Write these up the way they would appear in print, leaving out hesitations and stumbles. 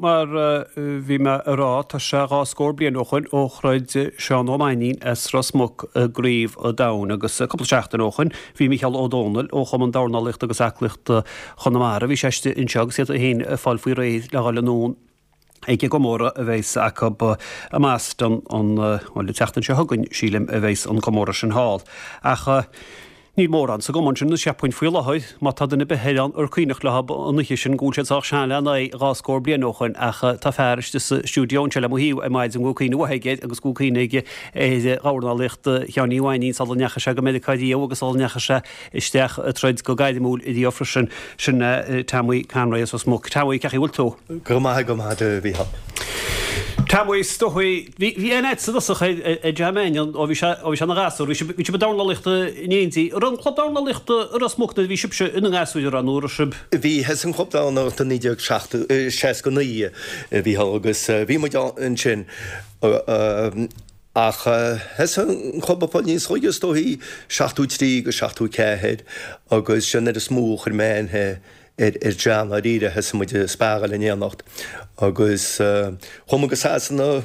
Mar a bhí mé a rá, tá sé dhá scór bliain ó shoin ó throid Seán Ó Mainnín as Ros Muc i gCraobh an Domhain agus cúpla seachtain ó shoin bhí Micheál Ó Dónaill ó Chumann Dornálaíochta agus Aclaíochta Chonamara, bhí sé istigh anseo agus iad féin ag fáil faoi réir le dhul anonn ag an gcomóradh a bheas acu i mBoston an, bhuel, an tseachtain seo chugainn, sílim, a bheas an comóradh sin thall. Ach. Níl mórán sa gcumann sin anois cheapfainn faoi láthair, má tá duine ar bith ann ar cuimhneach leo an oíche sin go bhfuil siad sách sean lena aghaidh dhá scór bliain ó shoin ach tá fear istigh sa stiúideo anseo le mo thaobh ar maidin go bhfuil cuimhne mhaith aige air agus go bhfuil cuimhne aige ar dhornálaíocht Sheáin Uí Mhainnín sula ndeachaigh sé go Meiriceá riamh agus sula ndeachaigh sé isteach ag troid go gairmiúil riamh freisin. Sin é Tommy Conroy as Ros Muc. Tommy, cén chaoi a bhfuil tú? Go maith, go maith, a Mhícheáil. Tommy, is dóigh, bhí bhí aithne agat sa dtosach ar ar John Mannion ó bhí sé ó bhí sé ina ghasúr, bhí sibh bhí sibh ag dornálaíocht in éindí. An raibh an club dornálaíochta i Ros Muc nuair a bhí sibhse ina ngasúir an raibh nó an raibh sibh? Bhí, thosaigh an club dornálaíochta i 1969 a Mhícheáil agus bhí muid ansin ach thosaigh an club ag fáil níos óige is dóichí, 73 go 74 agus sin nuair is mó a chuir mé aithne ar John dáiríre, thosaigh muid ag sparáil in éineacht agus chuaigh muid go Sasana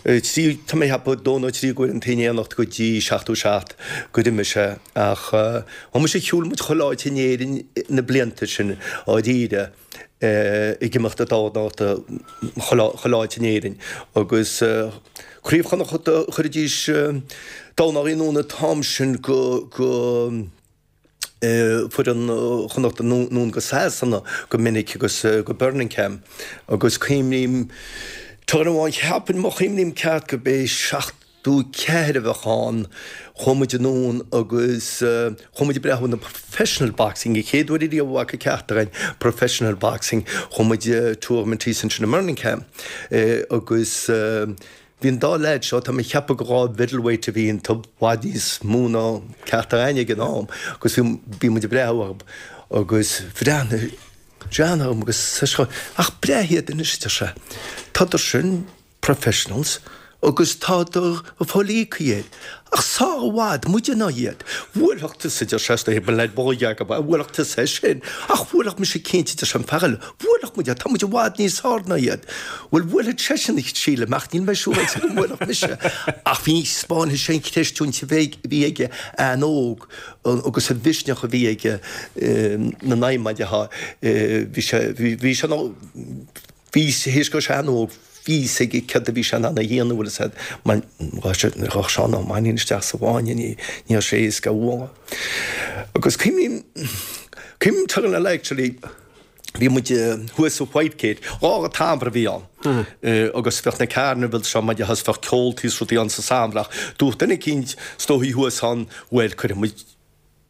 trí, tá mé ag ceapadh, dó nó trí uaireanta in éineacht go dtí 77 gur imigh sé ach chuaigh mise, shiúil muid chuile áit in Éirinn na blianta sin dáiríre ag imeacht ag dornálaíocht chuile áit in Éirinn agus Craobh Chonnacht chuiridís dornálaí anonn an t-am sin go, go. foireann Chonnacht anonn go Sasana go minic agus go Birmingham agus cuimhním tráth amháin cheapfainn má chuimhním ceart go b'é 74 a bheadh ann chuaigh muid anonn agus chuaigh muid ag breathnú na professional boxing an chéad uair ariamh a bhfaca ceachtar againn professional boxing chuaigh muid tournament thíos ansin i mBirmingham agus Bhí an dá leaid seo, tá mé ag ceapadh gur dhá mhiddleweight a bhí iontu, i bhfad níos mó ná ceachtar againne ag an am, agus bhí, bhí muid ag breathnú orthu agus bhreathnaigh John orm agus seisean, ach breathnaigh iad anois, a deir sé, tádar sin professionals agus tádar ag fáil íoctha air, ach sár i bhfad muide ná iad. Bhuailfeadh tusa, a deir sé, is dóigh, ba leaid bóige agam é, bhuailfeadh tusa é sin, ach bhuailfeadh mise cinnte, a deir sé, an fear eile, Bhuailfeadh muid iad, tá muid i bhfad níos fearr ná iad. Bhuel, bhuailfeadh seisean, sílim, ach níl mé siúráilte go mbuailfeadh mise. Ach bhí, 'spáinfidh sé an chreistiúint a bhí aige an-óg agus an mhisneach a bhí aige na n-adhmaid atá, bhí sé, bhí sé, bhí, théis go raibh sé an-óg, bhí fhios aige céard a bhí sé in ann a dhéanamh, bhfuil fhios a'd, mar ghabh Seán Ó Mainnín isteach sa bhfáinne, ní raibh sé éasca a bhualadh. Agus cuimhním, cuimhním tráth eile actually, Bhí muid thuas sa Whitegate, lá an tsamhraidh a bhí ann agus bheadh na carnivals seo maidin agus bheadh ceoltaí is rudaí ann sa samhradh ach dúirt duine eicínt is dóichí thuas ann bhuel cuirfidh muid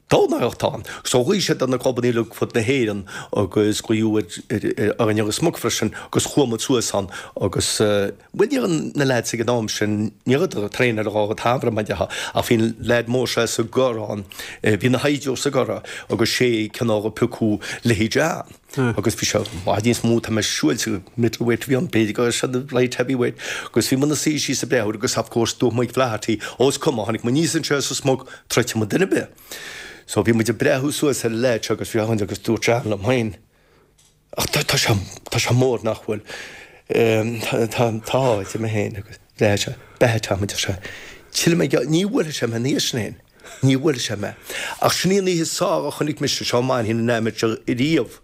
dornálaíocht ann. So ghlaoigh siad ar na clubanna uilig fud na hÉireann agus glaodh ar orainn i Ros Muc freisin agus chuaigh muid suas ann agus bhuel ní raibh na lads ag an am sin ní rabhadar ag traenáil an t-samhradh mar a déarfá ach bhí an leaid mór seo sa gCorrán bhí ina shaighdiúir sa gCorradh agus sé cineál a piocadh leithéid John agus bhí sé i bhfad níos mó tá mé siúráilte middleweight a bhí ann b'fhéidir go raibh sé light heavyweight agus bhí muid ina suí síos ag breathnú air agus of course dúirt Mike Flaherty ó is cuma tháinig muid aníos anseo as Ros Muc troidfidh muid duine ar bith so bhí muid ag breathnú suas ar an leaid seo agus bhí agus dúirt John liom féin Ach tá, tá sé, tá sé mór nach bhfuil. Tá, tá, a deir mé féin agus bhreathnaigh sé, beatha Tom a deir sé, Tchífidh mé, ní bhuailfidh sé mé an oíche sin féin, ní bhuailfidh sé mé. Ach sin í an oíche is fearr a chonaic mise Seán Mainnín in amateur riamh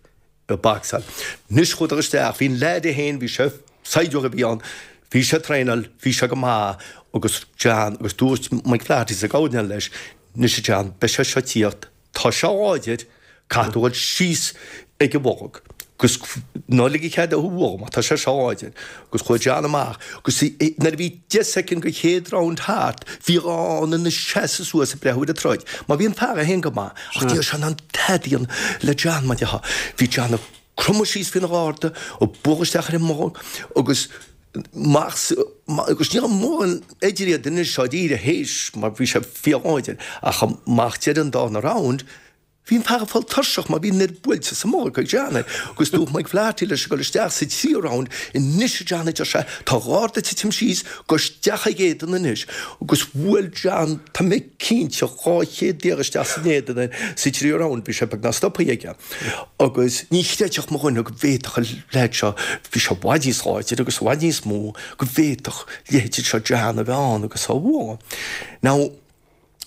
ag bocsáil. Anois chuadar isteach, bhí an leaid é féin, bhí sé, saighdiúir a bhí ann, bhí sé ag traenáil, bhí sé go maith agus John, agus dúirt Mike Flaherty sa gcomhairle leis, anois a John, beidh sé seo ag tíocht, Tá sé láidir, caithfidh tú dhul síos ag an bholg agus ná lig cead dó thú a bhualadh mar tá sé seo láidir. Agus chuaigh John amach agus nuair a bhí 10 soicind den chéad round thart bhí a lán ina seasamh suas ag breathnú ar an troid mar bhí an fear é féin go maith ach ní raibh sé in ann tada a dhéanamh le John mar déarfá. Bhí John ag cromadh síos faoina gharda, ag bualadh isteach ar an mbolg agus amach agus ní raibh mórán idir iad anois dáiríre théis mar bhí sé fíorláidir ach amach deireadh an darna round. Bhí an fear ag fáil tuirseach mar bhí an oiread buailte sa mbolg ag John agus dúirt Mike Flaherty leis ag dul isteach sa tríú round, Anois a John, a deir sé, tá a gharda ag titim síos, gabh isteach ag éadan anois. Agus bhuail John, tá mé cinnte, 200 iarraidh isteach san éadan air sa tríú round, bhí sé beagnach stoptha aige. Agus ní chreidfeadh mo dhuine go bhféadfadh an leaid seo, bhí sé i bhfad níos láidre agus i bhfad níos mó, go bhféadfadh leithéid seo John a bheith ann agus á bhualadh. Now,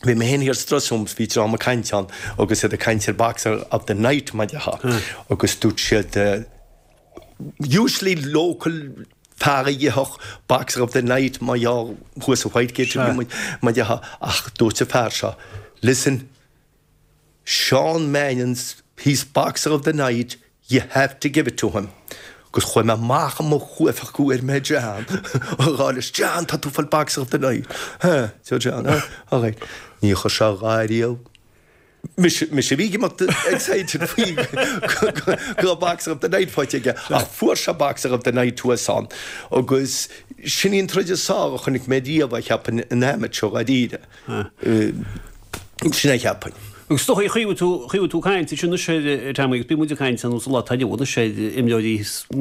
Bhí mé féin thiar sa dressing room, bhí dream ag caint ann agus iad ag caint ar Boxer of the Night mar a déarfá agus dúirt siad usually local fear a gheobhadh Boxer of the Night mar gheall thuas i Whitegate a bhí muid mar a déarfá ach dúirt an fear seo listen Seán Mannion he's Boxer of the Night You have to give it to him. Agus chuaigh mé amach i mo chuaifeach go bhfuair mé John a rá leis, John, tá tú ag fáil Boxer of the Night. Huh, deir John, huh, all right. Ní chuir sé a dhath riamh. Mise, mise a bhí ag imeacht excited faoi go raibh Boxer of the Night faighte aige, ach fuair sé Boxer of the Night thuas ann. Agus sin í an troid is fearr a chonaic mé riamh, a cheapfainn, in amateur, dháiríre. Sin é a cheapfainn. Agus is dócha, chuimhnigh tú, chuimhnigh tú caint ansin anois ar Tommy agus bíonn muid ag caint anuas an lá atá inniu anois ar imreoirí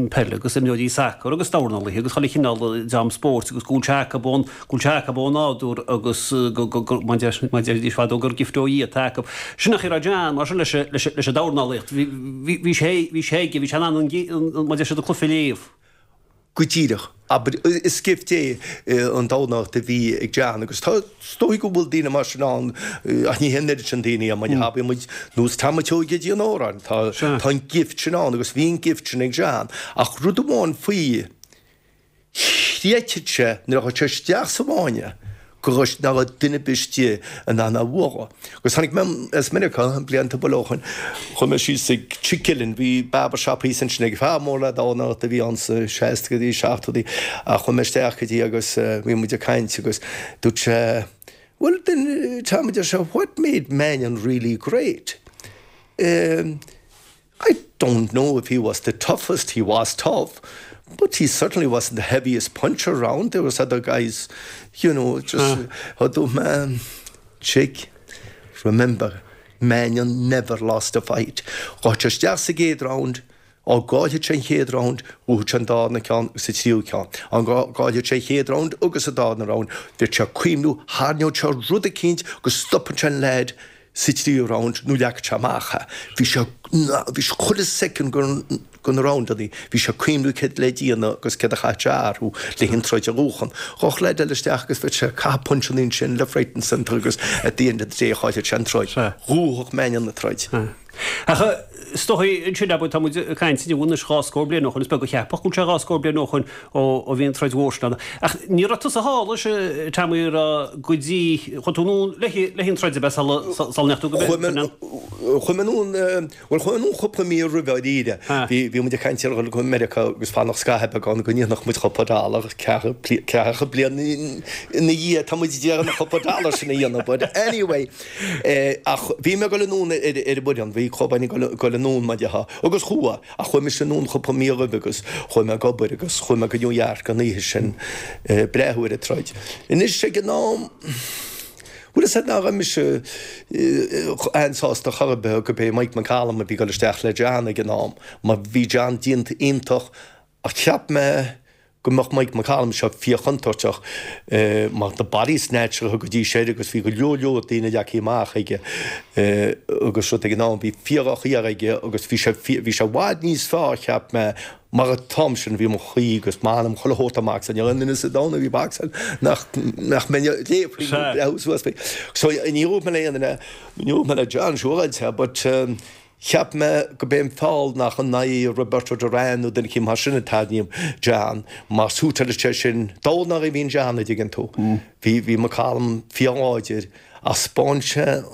peile agus imreoirí sacair agus dornálaithe agus chuile chineál dream spóirt agus go bhfuil sé acu ón, go bhfuil sé acu ó nádúr agus go, go, go, mar a deiridís fadó gur gift ó Dhia atá acu. Sin an chaoi a raibh John mar sin leis, leis, leis an dornálaíocht. Bhí, bhí, bhí sé, bhí sé aige, bhí sé in ann an, an, mar a deir siad an cluiche a léamh. Go díreach. Abair, is gift é an dornálaíocht a bhí ag John agus tá, is dóigh go bhfuil daoine mar sin ann ach ní hé an oiread sin daoine é mar abraíonn muid nós Tom Seoige Dí an Óráin, tá, tá an gift sin ann agus bhí an gift sin ag John ach rud amháin faoi, chreidfeadh sé nuair a chuaigh sé isteach sa bhfáinne go raibh, nach raibh duine ar bith istigh in ann é a bhualadh. Agus tháinig mé as Meiriceá blianta ba ó shin, chuaigh mé síos ag Chick Gillen, bhí barber shop thíos ansin ag fear mór le dornálaíocht a bhí ann sa seascaidí, seachtóidí, ach chuaigh mé isteach go dtí agus bhí muid ag caint agus dúirt sé, well then Tom, a deir sé, what made Mannion really great? Um, I don't know if he was the toughest, he was tough, but he certainly wasn't the heaviest puncher around. There was other guys, you know, just ah. man, chick. Remember, Mannion never lost a fight. Ghabh sé isteach sa gcéad round, dá gcaillfeadh sé an chéad round, bhuafadh sé an darna ceann agus an tríú ceann. Dá gcaillfeadh sé an chéad round agus an darna round, bheadh sé ag cuimhniú, tharraingeodh sé rud eicínt go stopfadh sé an leaid sa tríú round nó leagfadh sé amach é. Bhí sé, bhí sé chuile soicind de na roundannaí, bhí sé ag cuimhniú céard le déanamh agus céard a chaithfeadh sé a athrú le an troid a bhuachan. Ghabhfadh leaid eile isteach agus bheadh sé ag caitheamh puncheannaí ansin left, right and centre agus at the end of the day chaillfeadh sé an troid. Bhuafadh Mannion an troid. Ach is dóigh ansin, abair, tá muid ag caint inniu anois dhá scór bliain ó shoin, is beag a cheapfadh go bhfuil sé dhá scór bliain ó shoin ó bhí an troid mhór sin ann. Ach ní raibh tusa thall leis, Tommy, a raibh go dtí, chuaigh tú anonn le an troid ab ea sula ndeachaigh tú go Binn? Chuaigh mé anonn, bhuel chuaigh mé anonn cúpla mí roimhe dháiríre. Bhí muid ag caint ar dhul go Meiriceá agus fanacht scaitheamh beag ann go ndéanfadh muid cúpla dollar, ceathracha bliain ina dhiaidh tá muid ag iarraidh an cúpla dollar sin a dhéanamh but anyway, Ach bhí mé ag dul anonn ar an bhfoireann, bhí club againn ag dul anonn mar a déarfá, agus chuaigh, ach chuaigh mise anonn cúpla mí roimhe agus chuaigh mé ag obair agus chuaigh mé go New York an oíche sin breathnú ar an troid. Anois ag an am, bhfuil fhios a'd nach raibh mise an-sásta chor ar bith go b'é Mike McCallum a bhí ag dul isteach le John ag an am, mar bhí John déanta iontach Ach cheap mé go mbeadh Mike McCallum seo fíorchontúirteach mar na body snatcher a thugaidís air agus bhí go leor leor daoine leagtha amach aige agus rud ag an am bhí fíordhroch-iarraidh aige agus bhí sé bhí sé i bhfad níos fearr cheap mé mar an t-am sin bhí mo chroí agus m'anam chuile shórt ag bocsáil níl aon duine sa domhan a bhí ag bocsáil nach nach mbeinn ag léamh faoi nó breathnú suas faoi so ní dúirt mé le aon duine ní dúirt mé le John siúráilte but Cheap mé go b'é an fáth nach in aghaidh Roberto Duran nó duine eicínt mar sin a tarraingíodh John, mar suiteáil sé sin dornálaí a bhí in John, a dtuigeann tú. Bhí, bhí McCallum fíorláidir ach 'spáin sé,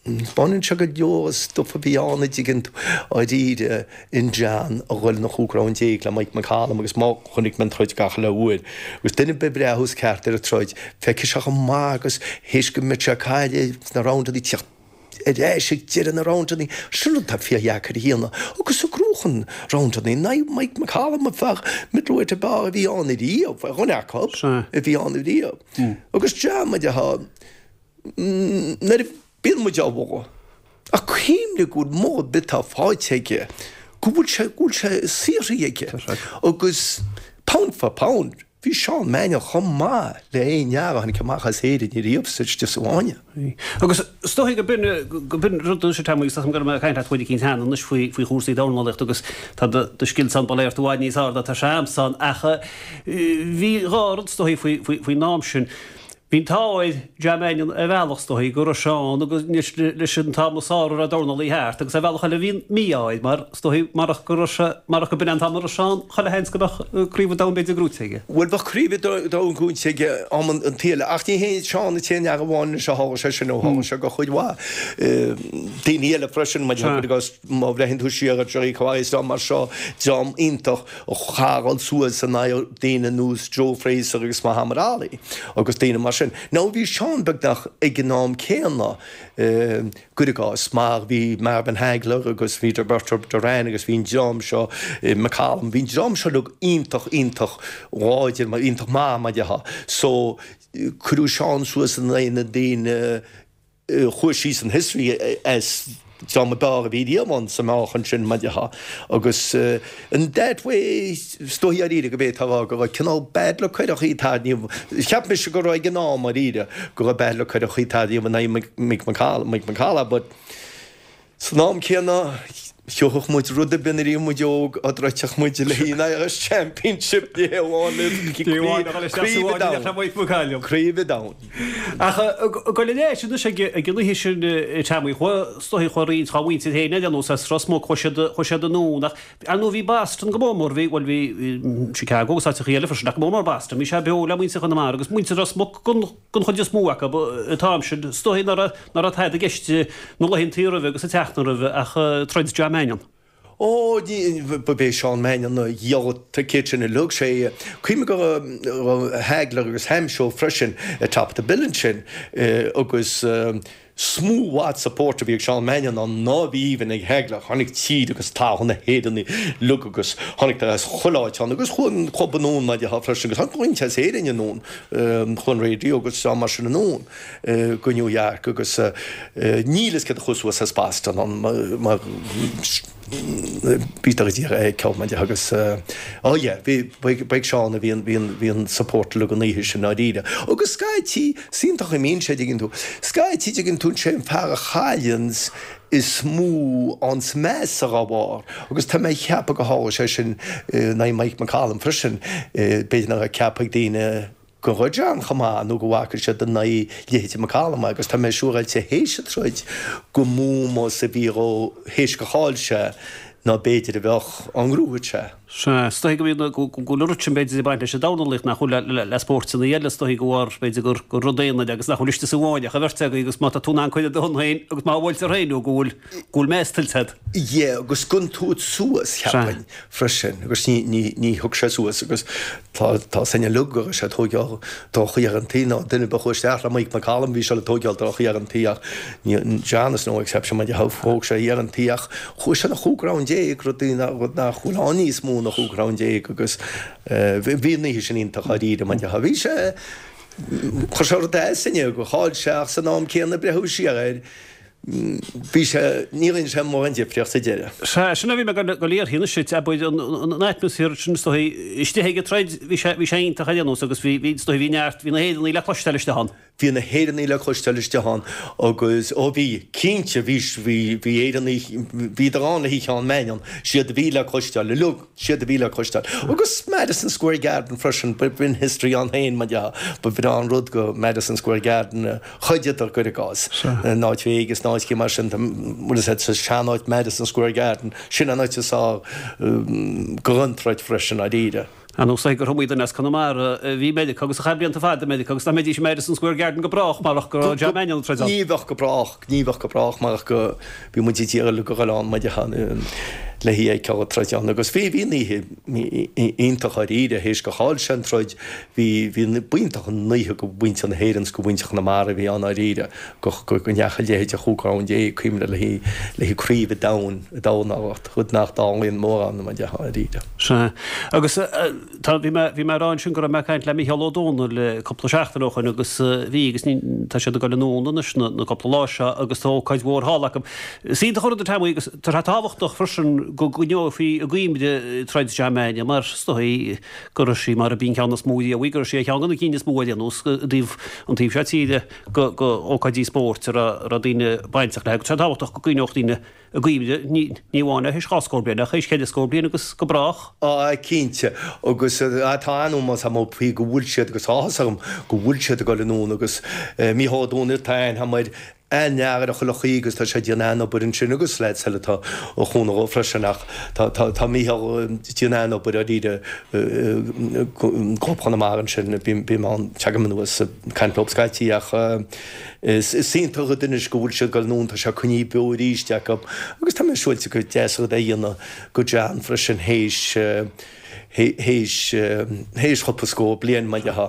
'spáineann sé go leor stuif a bhí ann, a dtuigeann tú, dáiríre in John a dhul na chúig round déag le Mike McCallum agus má chonaic mé an troid gach uile uair agus duine ar bith a bhreathós ceart ar an troid, feicfidh sé chomh maith agus théis go mbeadh sé ag cailleadh sna roundannaí tíocht ar ais ag deireadh na roundannaí, sin rud atá fíordheacair a dhéanamh agus ag gnóchan roundannaí in aghaidh Mike McCallum an fear middleweight ab fhearr a bhí ann ariamh, ar dhuine acu a bhí ann ariamh. Agus John, mar a déarfá, nuair a bíonn muid á mholadh. Ach cuimhnigh go bhfuil moladh ar bith atá faighte aige, go bhfuil sé, go bhfuil sé saothraithe aige. Agus pound for pound, bhí Seán Mannion chomh maith le aon fhear a tháinig amach as Éirinn ariamh sa istigh sa bhfáinne. Agus is dóigh go b'in, go b'in rud anois a Tommy, agus tá mé ag caint leat chuid eicínt cheana anois faoi, faoi chúrsaí dornálaíochta agus tá do, do scil san ba léir i bhfad níos airde ná tá sé a'msa ach bhí dhá rud is dóigh faoi, faoi, faoin am sin. Bhí an t-ádh ar John Mannion ar bhealach is dóigh go raibh sé ann agus leis an t-am is fearr a raibh dornálaí thart agus ar bhealach eile bhí an mí-ádh air mar is dóigh marach go raibh sé, marach go b'in an t-am a raibh sé ann, chuile sheans go mbeadh Craobh an Domhain b'fhéidir gnóite aige. Bhuel bheadh Craobh an Domhain gnóite aige am an tsaoil ach ní hé Seán an t-aon fhear amháin anois a tharla sé sin ó tharla sé go chuid mhaith daoine eile freisin, cuir i gcás má bhreathnaíonn tú siar ar Jerry Quarry is dream mar seo, dream iontach. a chaith suas in aghaidh daoine nós Joe Frazier agus Muhammad Ali agus daoine mar sin. Now bhí Seán beagnach ag an am céanna, cuir i gcás, mar bhí Marvin Hagler agus bhí Roberto Duran agus bhí an dream seo, McCallum, bhí an dream seo uilig iontach, iontach láidir, iontach maith mar a déarfá. So cuireadh Seán suas in aghaidh na daoine, chuaigh síos in history as dream ab fhearr a bhí riamh ann sa meáchan sin, mar a déarfá. Agus in that way, is dóigh dháiríre go bhféadfá a rá go raibh cineál bad luck ar an chaoi atá inniu. Cheap mise go raibh ag an am dháiríre go raibh bad luck ar an chaoi atá inniu in aghaidh Mick McCall, but San am céanna, thiocfadh muid rud ar bith nuair a bhí muid óg a dtroidfeadh muid le haghaidh an Irish Championship, ní hé amháin le Craobh an Domhain. Craobh an Domhain. Ach go le leis anois ag an oíche sin Tommy, chuaigh is dóigh chuaigh roinnt dá mhuintir féin ar aon nós as Ros Muc, chuaigh siad chuaigh siad anonn ach ar ndóigh bhí Boston go mór mór, bhí bhuel bhí Chicago agus áiteachaí eile freisin ach go mór mór Boston, bhí sé beo le muintir Chonamara agus muintir Ros Muc don Don chuid is mó acu an t-am sin, is dóigh nach raibh tada i gceist na laethantaí roimhe agus an tseachtain roimhe ach troid John Mannion. Ó, ba é Seán Mannion a dhíol an ticéad sin uilig. Sé, cuimhnigh go raibh Hagler agus Hamsho freisin at top of the bill ansin agus Is mó i bhfad support a bhí ag Seán Mannion ann ná a bhí even ag Hagler. Tháinig tír agus talamh na hÉireann uilig agus tháinig as chuile áit ann agus chuaigh an club anonn mar a déarfá freisin agus tháinig roinnt as Éirinn anonn, chuaigh an radio agus dream mar sin anonn go New York agus níl fhios céard a chuaigh suas as Boston ann mar bhíodar ag iarraidh a fheiceáil mar a déarfá agus oh yeah bhí ba ag Seán a bhí an bhí an bhí an support uilig an oíche sin ndáiríre. Agus scaití, is iontach a mbíonn sé dtuigeann tú, scaití dtuigeann tú sé an fear a chailleanns is mó anns meas dá bharr agus tá mé ag ceapadh go tharla sé sin in aghaidh Mike McCallum freisin, b'fhéidir nach raibh ceaptha ag daoine go raibh John chomh maith nó go bhfaca siad in aghaidh leithéide McCallum agus tá mé siúráilte théis an troid go mó ómós a bhí dhó théis gur chaill sé ná b'fhéidir a bheadh dá ngnóthódh sé. Sea, is dóigh go mbíonn, go bhfuil an rud sin b'fhéidir ag baint leis an dornálaíocht nach bhfuil le, le spóirteanna eile, is dóigh go bharr b'fhéidir gur, gur rud aonair agus nach bhfuil istigh sa bhfáinne ach an bheirt agaibh agus má tá tú in ann cur de thon féin agus má bhuailtear féin nó go bhfuil, go bhfuil meas tuillte agat. Yeah, agus go dtabharfá suas, cheapfainn, freisin agus ní, ní, ní thug sé suas agus Tá tá a fhios againn uilig go raibh sé ag tóigeáil droch-iarrantaí nó duine ar bith a chuaigh isteach le Mike McCallum bhí sé ag tóigeáil droch-iarrantaí ach ní John is no exception mar thóg sé iarrantaí ach chuaigh sé na chúig round déag rud rud nach bhfuil ann níos mó ná chúig round déag agus bhí an oíche sin iontach dháiríre mar bhí sé chuir sé rud as inne gur chaill sé ach san am céanna breathnú siar air Bhí sé, ní rinne sé mórán difríocht sa deireadh. Sea, sin a bhí mé ag goil a iarraidh anois duit, abair, an atmaisféar sin is dóigh, istigh ag an troid, bhí sé, bhí sé iontach ar aon nós agus bhí, bhí, is dóigh, bhí neart, bhí na hÉireannaigh le cloisteáil istigh ann. Bhí na hÉireannaigh le cloisteáil istigh ann agus, ó bhí, cinnte, bhí, bhí, bhí Éireannaigh, bhíodar ann le haghaidh Sheán Mannion, siad a bhí le cloisteáil uilig, siad a bhí le cloisteáil. Agus Madison Square Garden freisin, b'in history ann féin, mar dhea, ba bhreá an rud go Madison Square Garden a, Throideadar cuir i gcás, in áit Vegas nó áit mar sin, bhfuil fhios agat, sa sean-áit Madison Square Garden, sin an áit is fearr don troid freisin, dáiríre. Ar nós gur iomaí duine as Conamara a bhí i Meiriceá agus a chaith blianta fada i Meiriceá agus nach mbeidís i Madison Square Garden go brách marach go raibh John Mannion ag troid ann. Ní bheadh go brách, ní bheadh go brách marach go, bhí muid ag iarraidh go raibh ann, mar dhea. le hí a fheiceáil ag troid ann agus bhí, bhí an oíche iontach dháiríre, théis gur chaill sé an troid, bhí, bhí, b'iontach an oíche go mhuintir na hÉireann 's go mhuintir Chonamara a bhí ann dháiríre, go, go, go ndeachaigh a leithéid de chúig round déag, cuimhnigh le haghaidh, le haghaidh craobh an domhain i dornálaíocht, rud nach dtarlaíonn mórán, mar a déarfá dháiríre. Sea. Agus tá, bhí mé, bhí mé ag rá ansin go raibh mé ag caint le Micheál Ó Dónaill cúpla seachtain ó shoin agus bhí agus ní, tá siad ag dul anonn anois na, na cúpla lá seo agus tá ócáid mhór thall acu. Is iontach an rud a Tommy agus tá sé tábhachtach freisin go gcoinneofaí i gcuimhne troid John Mannion mar is dóigh go raibh sí mar a b'í an ceann is mó riamh í, go raibh sí ar cheann de na cinn is mó ar aon nós i dtaobh an taobh seo tíre go ócáidí spóirt a raibh daoine bainteach léi agus tá sé tábhachtach go gcoinneodh daoine i gcuimhne, ní amháin théis dhá scór bliain ach théis cheithre scór bliain agus go brách. Á, cinnte. Agus tá an-ómós agam faoi go bhfuil siad agus áthas orm go bhfuil siad ag dul anonn agus Mícheál Ó Dónaill tá aithne agam air an-fhear ar chuile chaoi agus tá sé ag déanamh an-obair ansin agus leaids eile atá á chúnamh dhó freisin ach tá tá tá Mícheál ag déanamh an-obair dáiríre i gClub Chonamara ansin bím bím ann teagaim anuas ag caint leo scaití ach is is iontach an rud anois go bhfuil siad ag dul anonn tá sé coinnithe beo arís acu agus tá mé siúráilte gur deas an rud é a dhéanamh go John freisin théis théis chúpla scór bliain, mar a déarfá.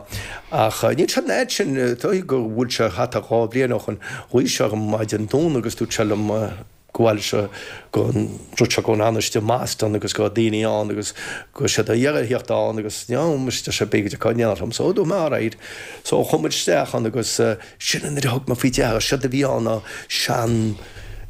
Ach níl sé an fhad sin, dóigh go bhfuil sé thart ar 2 bhliain ó shoin, ghlaoigh sé orm maidin Domhnaigh agus dúirt sé liom go bhfuil sé go rud seo go n-anaiste i mBoston agus go raibh daoine ann agus go raibh siad á iarraidh a theacht ann agus no muis deir sé b'fhéidir go dtiocfá in éineacht liom. So dúirt mé alright. So chuaigh muid isteach ann agus Sin nuair a thug mé faoi deara, séard a bhí ann ná sean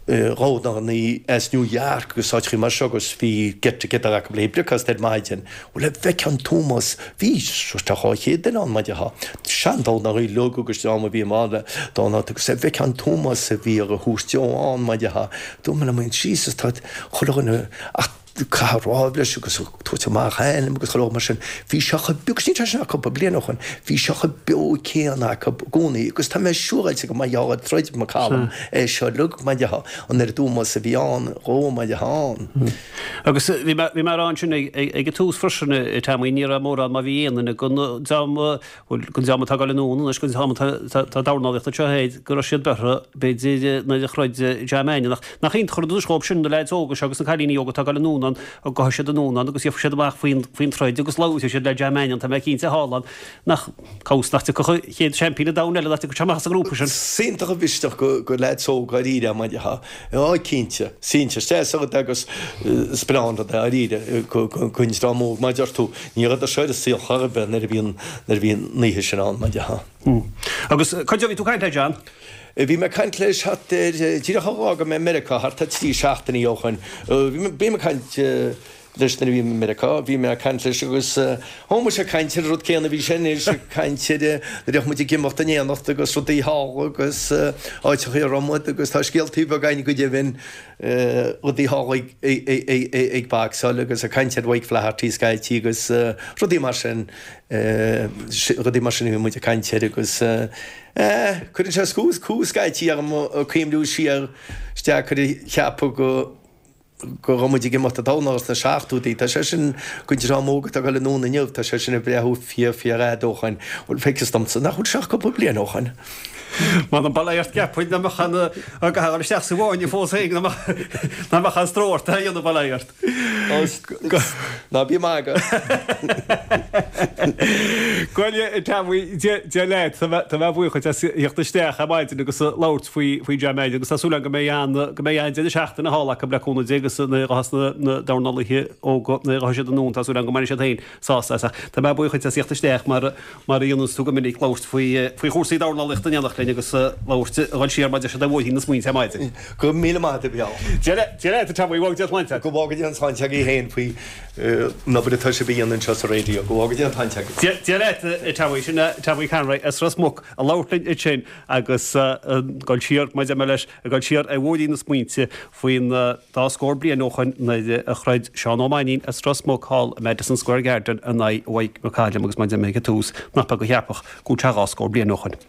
dhornálaí as New York agus áiteachaí mar seo agus bhí get together acu le bricfeasta ar maidin. Bhuel, a bhfeicfeá an t-ómós, bhí thart ar 200 duine ann, mar a déarfá. Sean-dornálaí uilig agus dream a bhí i mbun dornálaíochta agus a bhfeicfeá an t-ómós a bhí á thabhairt dó ann, mar a déarfá. Dúirt mé liom féin, Jesus, tá chuile dhuine ach caitheamh rámh leis agus ag tabhairt amach a ainm agus chuile shórt mar sin. Bhí sé chomh beo, agus níl sé sin ach cúpla bliain ó shoin, bhí sé chomh beo céanna acu i gcónaí agus tá mé siúráilte go mba gheall ar troid McCallum é seo uilig mar a déarfá, an oiread ómóis a bhí ann dhó mar a déarfá ann. Agus bhí mé, bhí mé ag rá ansin ag, ag, ag an tús freisin, a Tommy, ní raibh mórán má bhí aon duine den dream, Bhuel, den dream atá ag dul anonn anois, den dream atá ag dornálaíocht anseo thoir, go raibh siad beirthe, b'fhéidir, nuair a throid John Mannion. Ach nach iontach an rud anois dhóibh sin, na leaids óga seo agus na cailíní óga atá ag dul anonn ann, go gabhfaidh siad anonn ann agus gheobhaidh siad amach faoin, faoin troid agus labhróidh siad le John Mannion, tá mé cinnte, thall ann. Nach, cá bhfios nach dtiocfadh an chéad seaimpín an domhain eile, nach dtiocfadh sé amach as an ngrúpa sin. Is iontach an mhisneach go, go leaids óga dáiríre, mar a déarfá. Á, cinnte. Cinnte. Is deas an rud é agus is breá an rud é, dáiríre, don dream óg, mar a deir tú. Ní rabhadar seo ar an saol chor ar bith nuair a bhí an, nuair a bhí an oíche sin ann, mar a déarfá. Agus cá fhad ó bhí tú ag caint le John? Bhí mé ag caint leis thart ar, díreach ó dh'fhága mé Meiriceá, thart ar trí seachtainí ó shoin. Bhí mé, bím ag caint leis nuair a bhím i Meiriceá, bhí mé ag caint leis agus thá muid ag caint ar an rud céanna a bhí sé anois ag caint ar nuair a bheadh muid ag imeacht in éineacht agus rudaí thall agus áiteachaí a raibh muid agus tá scéaltaí beaga againn go deimhin rudaí thall ag ag boxáil agus ag caint ar Mike Flaherty scaití agus rudaí mar sin rudaí mar sin a bhí muid ag caint air agus eh cuireann sé cumha cumha scaití orm ag cuimhniú siar is deacair a cheapadh go go raibh muid ag imeacht ag dornáil sna seachtóidí. Tá sé sin, don dream óg atá ag dul anonn inniu, tá sé sin ag breathnú fíor, fíor fhada ó shoin. Bhuel, feictear domsa nach bhfuil sé ach cúpla bliain ó shoin. M'anam bail ort cheapfainn nach mbeadh an, ag gabháil isteach sa bhfáinne fós féin, nach mbeadh an stró ort é a dhéanamh, bail ort. Ná bí ag magadh. Bhuel, a Tommy, Dia leat, tá mé buíoch duit as theacht isteach ar maidin agus labhairt faoi faoi John Mannion agus tá súil agam go mbeidh an go mbeidh an deireadh seachtaine thall acu le cúnamh Dé agus nuair a ghabhfas na na dornálaithe óga nuair a ghabhfaidh siad anonn tá súil agam go mbainfidh siad féin sásamh as ach tá mé buíoch duit as theacht isteach mar mar a dhéananns tú go minic labhairt faoi faoi chúrsaí dornálaíochta in éineacht linn agus labhairt a dhul siar mar a deir siad ar bhóithrín na smaointe ar maidin. Go raibh míle maith agat a Mhícheál. Dia leat a Tommy, go bhfága Dia a shláinte agat. Go bhfága Dia an tsláinte agaibh féin faoi an obair atá sibh a dhéanamh anseo sa raidió. Go bhfága Dia an tsláinte agaibh. Dia leat a Tommy, sin é Tommy Conroy as Ros Muc ag labhairt linn ansin agus ag dul siar, mar a deir mé leis, ag dul siar ar bhóithrín na smaointe faoin dá scór bliain ó shoin nuair a throid Seán Ó Mainnín as Ros Muc thall i Madison Square Garden in aghaidh Mike McCallum agus mar a deir mé ag an tús, nach beag a cheapfadh go bhfuil sé dhá scór bliain ó shoin.